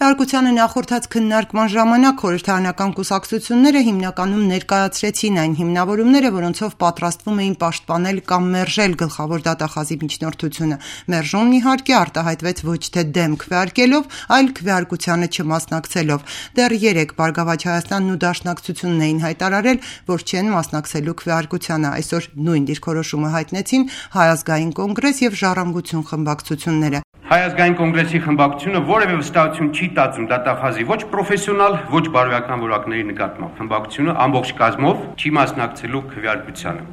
Քվեարկությանը նախորդած քննարկման ժամանակ խորհրդարանական կուսակցությունները հիմնականում ներկայացրեցին այն հիմնավորումները, որոնցով պատրաստվում էին պաշտպանել կամ մերժել գլխավոր դատախազի միջնորդությունը։ Մերժումն իհարկե արտահայտվեց ոչ թե դեմ քվեարկելով, այլ քվեարկությանը չմասնակցելով։ Դեռ 3 Բարգավաճ Հայաստանն ու Դաշնակցությունն էին հայտարարել, որ չեն մասնակցելու քվեարկությանը։ Այսօր նույն դիրքորոշումը հայտնեցին Հայ ազգային կոնգրես եւ Ժառանգություն խմբակցությունները։ Հայ ազգային կոնգրեսի խմբակցությունը որևէ վստահություն չի տածում դատախազի ոչ պրոֆեսիոնալ, ոչ բարոյական որակների նկատմամբ։ Խմբակցությունը ամբողջ կազմով չի մասնակցելու քվեարկությանը։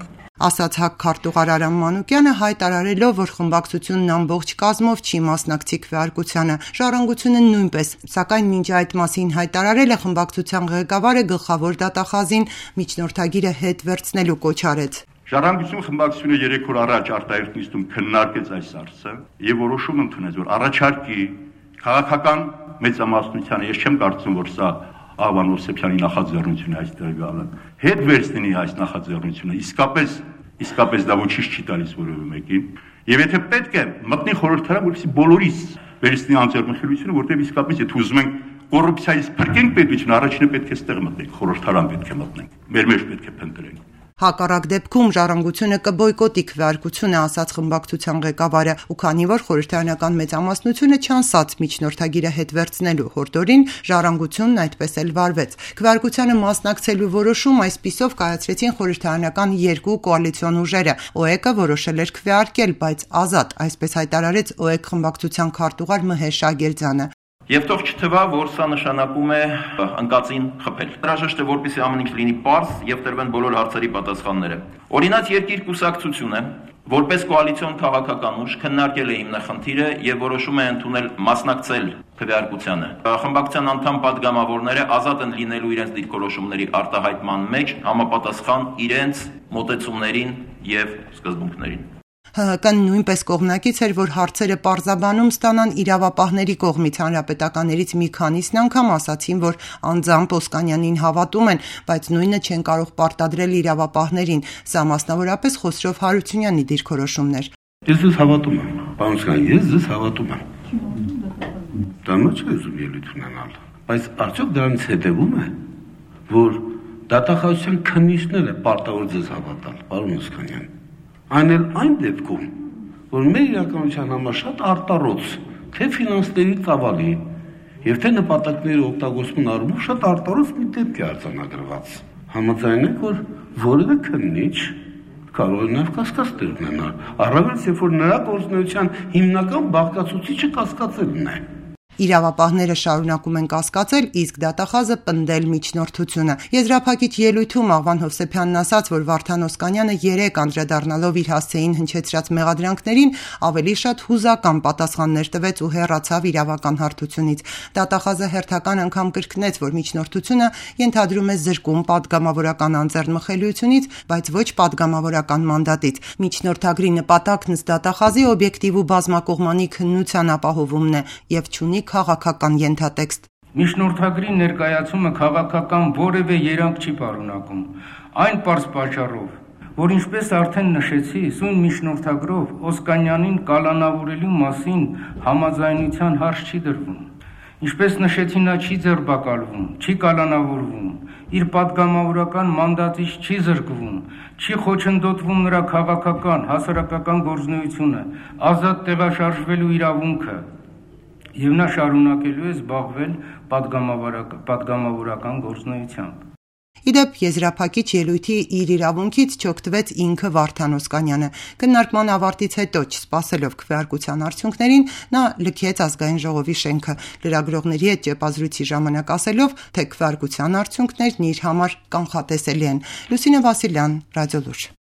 Ասաց ՀԱԿ քարտուղար Արամ Մանուկյանը, հայտարարելով, որ խմբակցությունն ամբողջ կազմով չի մասնակցի քվեարկությանը։ Ժառանգությունը նույնպես, սակայն մինչ այդ մասին հայտարարել է խմբակցության ղեկավարը գլխավոր դատախազին միջնորդագիրը հետ վերցնելու կոչ արեց։ Ժառանգություն խմբակցությունը 3 օր առաջ արտահերթ նիստում քննարկեց այս հարցը եւ որոշում ընդունեց, որ առաջարկի քաղաքական մեծամասնությանը, ես չեմ կարծում, որ սա Աղվան Հովսեփյանի նախաձեռնությունը այստեղ գալը, հետ վերցնի այս նախաձեռնությունը, իսկապես դա ոչինչ չի տալիս որևէ մեկին, եւ եթե պետք է մտնի խորհրդարան, որպեսզի բոլորիս վերցնի անձեռնխելությունը, որտեղ իսկապես եթե ուզում ենք կոռուպցիայից փրկենք պետությունը, առաջինը պետք է ստեղ մտնենք, խորհրդարան պետք է մտնենք, մեր մեջ պետք է փնտրենք։ Հակառակ դեպքում Ժառանգությունը կբոյկոտի քվեարկությունը, ասաց խմբակցության ղեկավարը, ու քանի որ խորհրդարանական մեծամասնությունը չանցած միջնորդագիրը հետ վերցնելու հորդորին, Ժառանգությունն այդպես էլ վարվեց։ Քվեարկությանը մասնակցելու որոշում այսպիսով կայացրեցին խորհրդարանական 2 կոալիցիոն ուժերը։ ՕԵԿ-ը որոշել էր քվեարկել, բայց ազատ, այսպես հայտարարեց ՕԵԿ խմբակցության քարտուղար Մհեր Շագերձյանը։ Եվ թող չթվա, որ սա նշանակում է ընկածին խփել։ Հրաժեշտ է, որպեսզի ամեն ինչ լինի պարզ եւ տրվեն բոլոր հարցերի պատասխանները։ Օրինաց երկիր կուսակցությունը, որպես կոալիցիոն քաղաքական ուժ, քննարկել է հիմնախնդիրը եւ որոշում է ընդունել մասնակցել քվեարկությանը։ Խմբակցության անդամ падգամավորները ազատ են լինելու իրենց դիրքորոշումների արտահայտման մեջ համապատասխան իրենց մոտեցումներին եւ սկզբունքներին։ ՀՀԿ-ն նույնպես կողմնակից էր, որ հարցերը պարզաբանում ստանան իրավապահների կողմից։ Հանրապետականներից մի քանիսն անգամ ասացին, որ անձամբ Օսկանյանին հավատում են, բայց նույնը չեն կարող պարտադրել իրավապահներին։ Սա մասնավորապես Խոսրով Հարությունյանի դիրքորոշումն էր։ Ես ձեզ հավատում եմ, պարոն Օսկանյան, ես ձեզ հավատում եմ։ Դա ոչ է ուզում ելույթ ունենալ, բայց արդյոք դրանից հետևում է, որ դատախազության քննիչները պարտավոր ձեզ հավատալ, պարոն Օսկանյան։ Այն էլ այն դեպքում, որ մեր իրականության համար շատ արտառոց, թե ֆինանսների ծավալի եւ թե նպատակների օգտագործման առումով շատ արտառոց մի դեպք է արձանագրված։ Համաձայն եք, որ որևէ քննիչ կարող է նաեւ կասկած ունենալ, առավել երբ որ նրա գործունեության հիմնական բաղկացուցիչը կասկածելն է։ Իրավապահները շարունակում են կասկածել, իսկ դատախազը պնդել միջնորդությունը։ Եզրափակիչ ելույթում Աղվան Հովսեփյանն ասաց, որ Վարդան Օսկանյանը 3 անդրադառնալով իր հասցեին հնչեցրած մեղադրանքներին ավելի շատ հուզական պատասխաններ տվեց ու հեռացավ իրավական հարթությունից։ Դատախազը հերթական անգամ կրկնեց, որ միջնորդությունը ենթադրում է զրկում падգամավորական անձեռնմխելիությունից, բայց ոչ падգամավորական մանդատից։ Միջնորդագրի նպատակն ըստ դատախազի օբյեկտիվ ու բազմակողմանի քննության ապահովումն է եւ չունի քաղաքական ենթատեքստ։ Միջնորդագրի ներկայացումը քաղաքական որևէ երանգ չի պարունակում։ Այն պարզ պատճառով, որ ինչպես արդեն նշեցի, սույն միջնորդագրով Օսկանյանին կալանավորելու մասին համաձայնության հարց չի դրվում։ Ինչպես նշեցի, նա չի ձերբակալվում, չի կալանավորվում, իր падգամավորական մանդատից չի զրկվում, չի խոչընդոտվում նրա քաղաքական, հասարակական գործունեությունը, ազատ տեղաշարժվելու իրավունքը, եւ նա շարունակելու է զբաղվել падգամավորական գործունեությամբ։ Իդեպ եզրափակիչ ելույթի իր իրավունքից չօգտվեց ինքը Վարդան Օսկանյանը։ Քննարկման ավարտից հետո, չսպասելով քվեարկության արդյունքներին, նա լքեց ազգային ժողովի շենքը։ Լրագրողների հետ ճեպազրույցի ժամանակ ասելով, թե քվեարկության արդյունքներն իր համար կանխատեսելի են։ Լուսինե Վասիլյան, Ռադիոլուր։